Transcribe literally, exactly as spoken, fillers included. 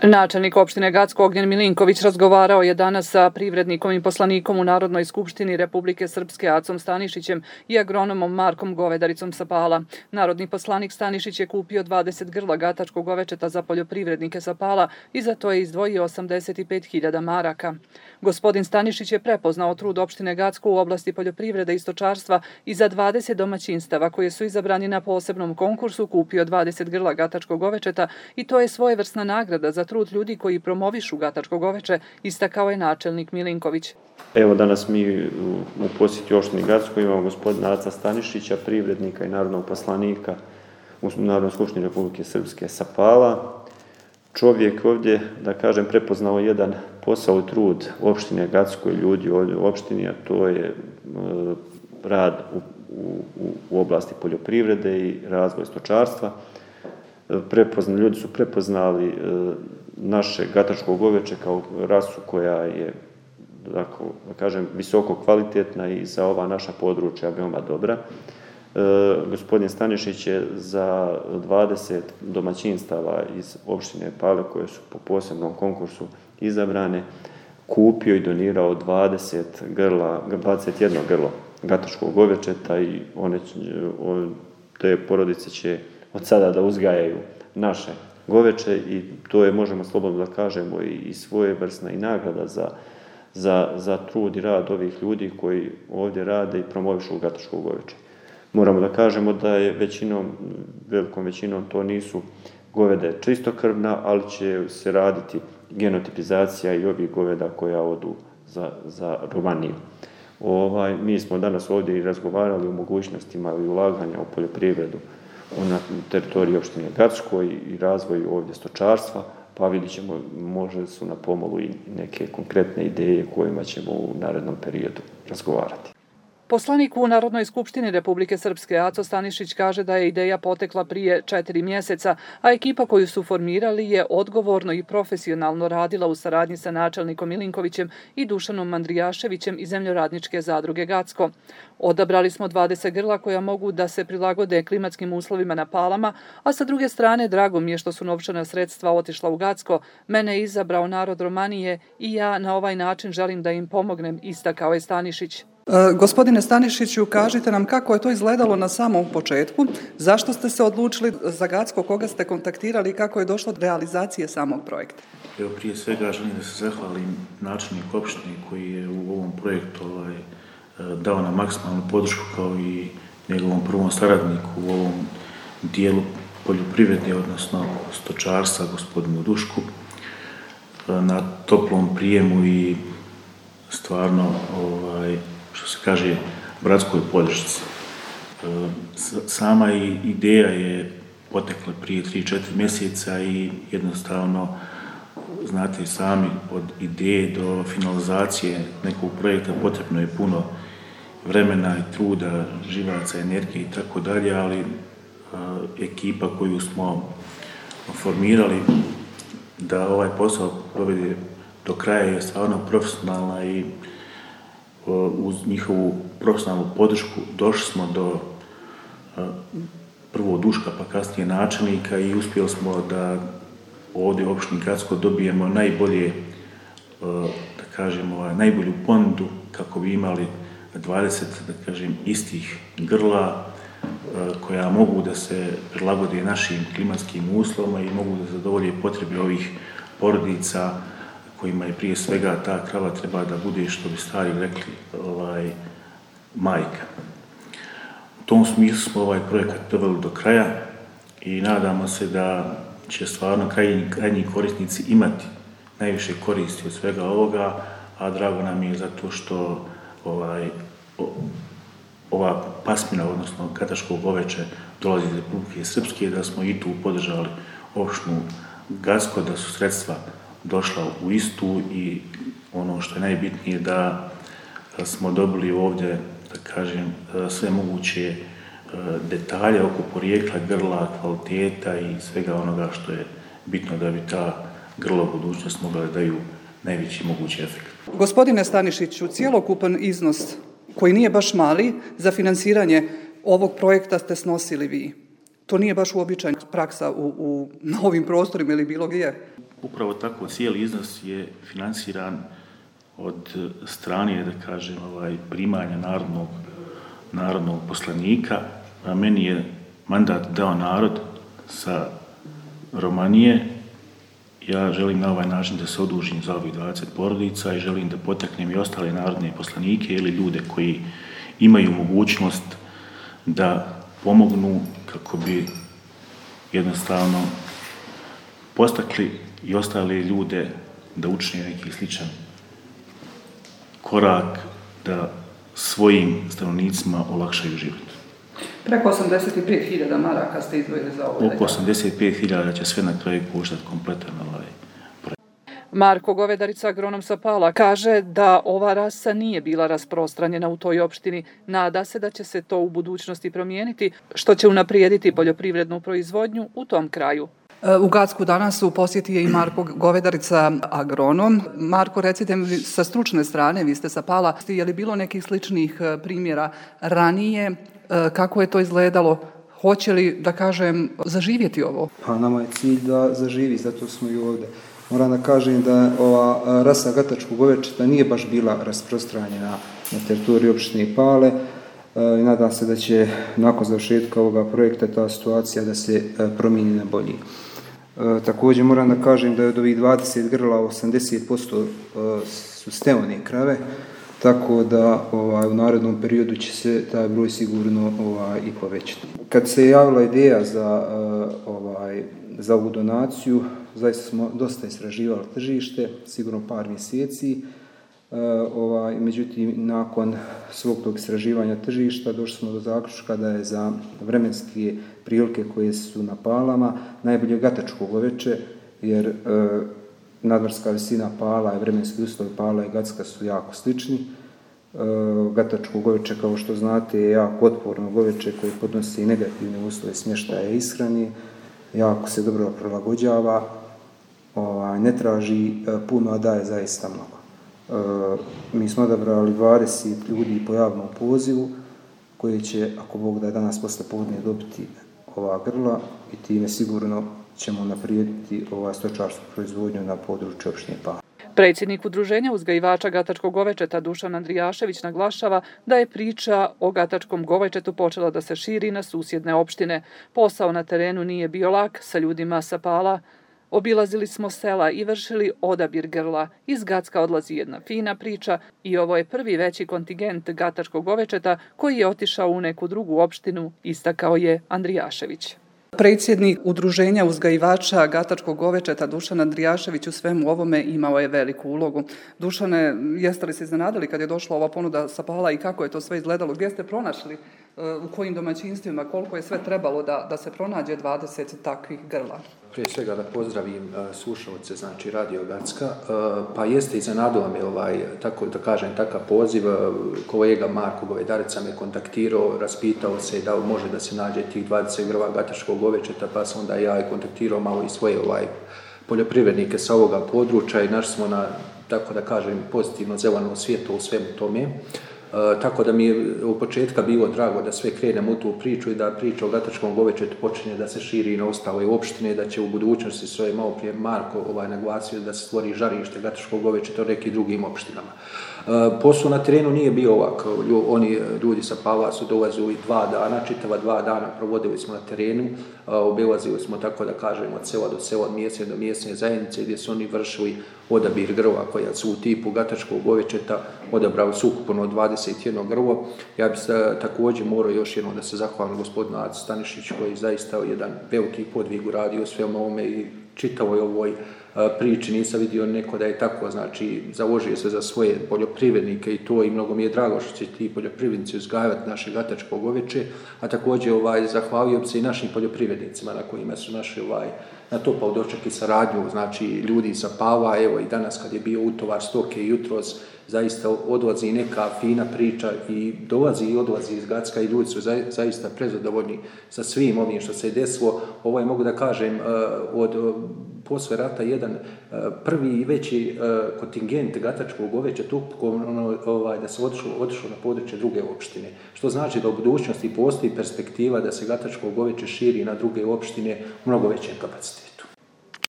Načelnik opštine Gacko Ognjen Milinković razgovarao je danas sa privrednikom i poslanikom u Narodnoj skupštini Republike Srpske Acom Stanišićem i agronomom Markom Govedaricom sa Pala. Narodni poslanik Stanišić je kupio dvadeset grla gatačkog govečeta za poljoprivrednike sa Pala i za to je izdvojio osamdeset pet hiljada maraka. Gospodin Stanišić je prepoznao trud opštine Gacko u oblasti poljoprivrede i stočarstva i za dvadeset domaćinstava koje su izabrani na posebnom konkursu kupio dvadeset grla gatačkog govečeta i to je svojevrsna nagrada za trud ljudi koji promovišu gatačko goveče, istakao je načelnik Milinković. Evo danas mi u posjeti opštini Gacko imamo gospodina Aca Stanišića, privrednika i narodnog poslanika u Narodnoj skupštini Republike Srpske sa Pala. Čovjek ovdje, da kažem, prepoznao jedan posao i trud opštine Gacko i ljudi ovdje u opštini, a to je rad u, u, u oblasti poljoprivrede i razvoj stočarstva. Prepozna, ljudi su prepoznali naše gatačko goveče kao rasu koja je, da kažem, visoko kvalitetna i za ova naša područja veoma dobra. Gospodin Stanišić je za dvadeset domaćinstava iz opštine Pale koje su po posebnom konkursu izabrane kupio i donirao dvadeset grla, dvadeset jedno grlo gatačkog govečeta i one, te porodice će od sada da uzgajaju naše goveče i to je, možemo slobodno da kažemo, i svojevrsna i nagrada za, za, za trud i rad ovih ljudi koji ovdje rade i promovišu gatačko goveče. Moramo da kažemo da je većinom, velikom većinom to nisu govede čistokrvna, ali će se raditi genotipizacija i ovih goveda koja odu za, za Romaniju. Ovaj, mi smo danas ovdje i razgovarali o mogućnostima i ulaganja u poljoprivredu na teritoriji opštine Gacko i razvoju ovdje stočarstva, pa vidit ćemo, možda su na pomolu i neke konkretne ideje kojima ćemo u narednom periodu razgovarati. Poslanik u Narodnoj skupštini Republike Srpske Aco Stanišić kaže da je ideja potekla prije četiri mjeseca, a ekipa koju su formirali je odgovorno i profesionalno radila u saradnji sa načelnikom Milinkovićem i Dušanom Mandrijaševićem iz Zemljoradničke zadruge Gacko. Odabrali smo dvadeset grla koja mogu da se prilagode klimatskim uslovima na Palama, a sa druge strane drago mi je što su novčana sredstva otišla u Gacko, mene je izabrao narod Romanije i ja na ovaj način želim da im pomognem, istakao je Stanišić. E, gospodine Stanišiću, kažite nam kako je to izgledalo na samom početku, zašto ste se odlučili za Gacko, koga ste kontaktirali i kako je došlo do realizacije samog projekta? Evo, prije svega želim da se zahvalim načelnik opštine koji je u ovom projektu ovaj, dao nam maksimalnu podršku kao i njegovom prvom saradniku u ovom dijelu poljoprivrede, odnosno stočarstva, gospodinu Dušku, na toplom prijemu i stvarno, ovaj, što se kaže, bratskoj podršci. Sama ideja je potekla prije tri do četiri mjeseca i jednostavno, znate sami, od ideje do finalizacije nekog projekta potrebno je puno vremena i truda, živaca, energije i tako dalje, ali ekipa koju smo formirali da ovaj posao provede do kraja je stvarno profesionalna i uz njihovu profesionalnu podršku došli smo do prvo Duška pa kasnije načelnika i uspjeli smo da ovdje u opštini Gacko dobijemo najbolje, da kažemo, najbolju ponudu kako bi imali dvadeset, da kažem, istih grla koja mogu da se prilagode našim klimatskim uslovima i mogu da zadovolje potrebe ovih porodica kojima je prije svega ta krava treba da bude, što bi stari rekli, ovaj, majka. U tom smislu smo ovaj projekat doveli do kraja i nadamo se da će stvarno krajnji, krajnji korisnici imati najviše koristi od svega ovoga, a drago nam je zato što ovaj, o, ova pasmina, odnosno gatačko goveče, dolazi iz Republike Srpske, da smo i tu podržali opštinu Gacko, da su sredstva došla u istu i ono što je najbitnije da smo dobili ovdje, da kažem, sve moguće detalje oko porijekla grla, kvaliteta i svega onoga što je bitno da bi ta grla u budućnosti mogla da daju najveći mogući efekt. Gospodine Stanišiću, cijelokupan iznos koji nije baš mali za finansiranje ovog projekta ste snosili vi. To nije baš uobičajena praksa u, u, na ovim prostorima ili bilo gdje. Upravo tako, cijeli iznos je financiran od strane, da kažem, ovaj, primanja narodnog, narodnog poslanika, a meni je mandat dao narod sa Romanije. Ja želim na ovaj način da se odužim za ovih dvadeset porodica i želim da potaknem i ostale narodne poslanike ili ljude koji imaju mogućnost da pomognu kako bi jednostavno postakli i ostale ljude da učine neki sličan korak, da svojim stanovnicima olakšaju život. Preko osamdeset pet hiljada maraka ste izdvojili za ovo. Oko osamdeset pet hiljada će sve na kraju koštati kompletan ovaj projekt. Marko Govedarica, agronom sa Pala, kaže da ova rasa nije bila rasprostranjena u toj opštini. Nada se da će se to u budućnosti promijeniti, što će unaprijediti poljoprivrednu proizvodnju u tom kraju. U Gacku danas u posjeti je i Marko Govedarica, agronom. Marko, recite mi sa stručne strane, vi ste sa Pala, je li bilo nekih sličnih primjera ranije? Kako je to izgledalo? Hoće li, da kažem, zaživjeti ovo? Pa nama je cilj da zaživi, zato smo i ovdje. Moram da kažem da ova rasa gatačkog govečeta nije baš bila rasprostranjena na teritoriji opštine Pale i nadam se da će nakon završetka ovoga projekta ta situacija da se promijeni na bolji. Također moram da kažem da je od ovih dvadeset grla osamdeset posto su steone krave, tako da ovaj, u narednom periodu će se taj broj sigurno ovaj, i povećati. Kad se javila ideja za, ovaj, za ovu donaciju, zaista smo dosta istraživali tržište, sigurno par mjeseci. Ovaj, međutim, nakon svog tog istraživanja tržišta došli smo do zaključka da je za vremenske prilike koje su na Palama najbolje gatačko goveče, jer e, nadmorska visina Pala i vremenski uslovi Pala i Gacka su jako slični. E, gatačko goveče, kao što znate, je jako otporno goveče koje podnosi negativne uslove smještaja i ishrane, jako se dobro prilagođava, ovaj, ne traži puno, a daje zaista mnogo. E, mi smo odabrali dvadeset ljudi po javnom pozivu koji će, ako Bog da, danas posle podne dobiti ova grla i time sigurno ćemo naprijediti ovaj stočarsku proizvodnju na području opštine Pala. Predsjednik Udruženja uzgajivača gatačkog govečeta Dušan Andrijašević naglašava da je priča o gatačkom govečetu počela da se širi na susjedne opštine. Posao na terenu nije bio lak, sa ljudima sa Pala obilazili smo sela i vršili odabir grla. Iz Gacka odlazi jedna fina priča i ovo je prvi veći kontingent gatačkog govečeta koji je otišao u neku drugu opštinu, istakao je Andrijašević. Predsjednik Udruženja uzgajivača gatačkog govečeta Dušan Andrijašević u svemu ovome imao je veliku ulogu. Dušane, jeste li se iznenadili kad je došla ova ponuda sa Pala i kako je to sve izgledalo? Gdje ste pronašli, u kojim domaćinstvima, koliko je sve trebalo da, da se pronađe dvadeset takvih grla? Prije svega da pozdravim uh, slušalce, znači Radio Gacka, uh, pa jeste iznenadilo me ovaj, tako da kažem, takav poziv. Uh, kolega Marko Govedarica me kontaktirao, raspitao se da može da se nađe tih dvadeset grla gatačkog govečeta, pa sam onda ja i kontaktirao malo i svoje ovaj, poljoprivrednike sa ovoga područja i našli smo na, tako da kažem, pozitivno zeleno svijetu u svemu tome. Uh, tako da mi je u početka bilo drago da sve krenemo u tu priču i da priča o gatačkom govečetu počinje da se širi na ostale opštine, da će u budućnosti, svoje malo prije Marko ovaj, naglasio, da se stvori žarište gatačkog govečeta u nekim drugim opštinama. Uh, posao na terenu nije bio ovako, oni ljudi sa Pala su dolazili dva dana, čitava dva dana provodili smo na terenu, uh, obilazili smo, tako da kažemo, od sela do sela, od mjesne do mjesne zajednice, gdje su oni vršili odabir grla koja su u tipu gatačkog govečeta, odabrali su ukupno dvadeset jedno grlo. Ja bih također morao još jednom da se zahvalim gospodinu Acu Stanišiću koji zaista jedan veliki podvig uradio u svemu ovome i čitavoj ovoj priči nisam vidio neko da je tako, znači založio se za svoje poljoprivrednike i to, i mnogo mi je drago što će ti poljoprivrednici uzgajati naše gatačko goveče, a također ovaj, zahvalio bi se i našim poljoprivrednicima na kojima su naši ovaj, na to pa doček i saradnju, znači ljudi sa Pala, evo i danas kad je bio utovar stoke jutros, zaista odlazi neka fina priča i dolazi i odlazi iz Gacka i ljudi su zaista prezadovoljni sa svim ovim što se je desilo. Ovo je, mogu da kažem, od posle rata jedan prvi i veći kontingent gatačkog govećeta ukupno ovaj, da se otišlo, otišlo na područje druge opštine. Što znači da u budućnosti postoji perspektiva da se gatačko goveće širi na druge opštine u mnogo većem kapacitetu.